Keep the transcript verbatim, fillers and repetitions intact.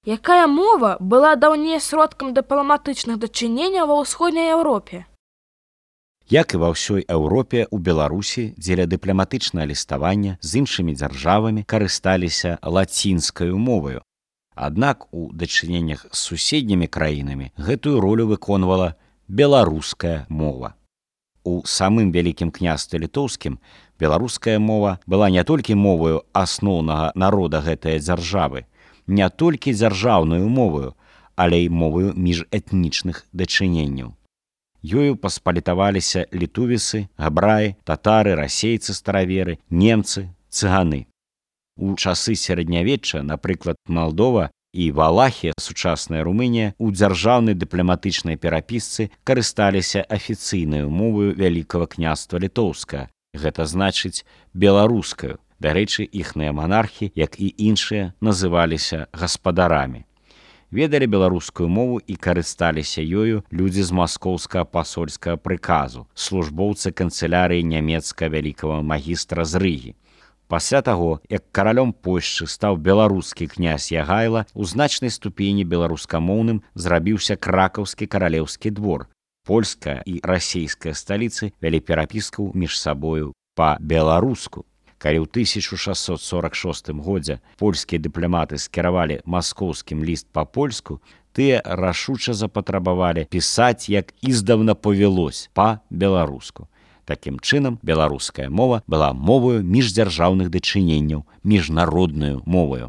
Якая мова была даўней сродкам дыпламатычных дачыненняў ва ўсходняй Еўропе? Як і ва ўсёй Еўропе, у Беларусі дзеля дыпламатычнага ліставання з іншымі дзяржавамі карысталіся лацінскаю моваю. Аднак у дачыненнях з суседнімі краінамі гэтую ролю выконвала беларуская мова. У самым вялікім княстве літоўскім беларуская мова была не толькі моваю асноўнага народа гэтай дзяржавы, не толькі дзяржаўнаю моваю, але і моваю міжэтнічных дачыненняў. Ёю паспалітаваліся літувісы, габраі, татары, расейцы стараверы, немцы, цыганы. У часы сярэднявечча, напрыклад, Малдова і Валахія, сучасная Румынія, у дзяржаўнай дыпламатычнай перапісцы карысталіся афіцыйнаю моваю Вялікага княства літоўскага, гэта значыць беларускаю. Дарэчы, іхныя манархі, як і іншыя, называліся гаспадарамі. Ведалі беларускую мову і карысталіся ёю людзі з маскоўскага пасольскага прыказу, службоўцы канцылярыі нямецкага вялікага магістра з Рыгі. Пасля таго, як каралём Польшчы стаў беларускі князь Ягайла, у значнай ступені беларускамоўным зрабіўся кракаўскі каралеўскі двор. Польская і расейская сталіцы вялі перапіску між сабою па-беларуску. Калі ў тысяча шэсцьсот сорак шостым годзе польскія дыпламаты скіравалі маскоўскім ліст па-польску, тыя рашуча запатрабавалі пісаць, як издавна повелось, па-беларуску. Такім чынам, беларуская мова была моваю міждзяржаўных дачыненняў, міжнароднаю моваю.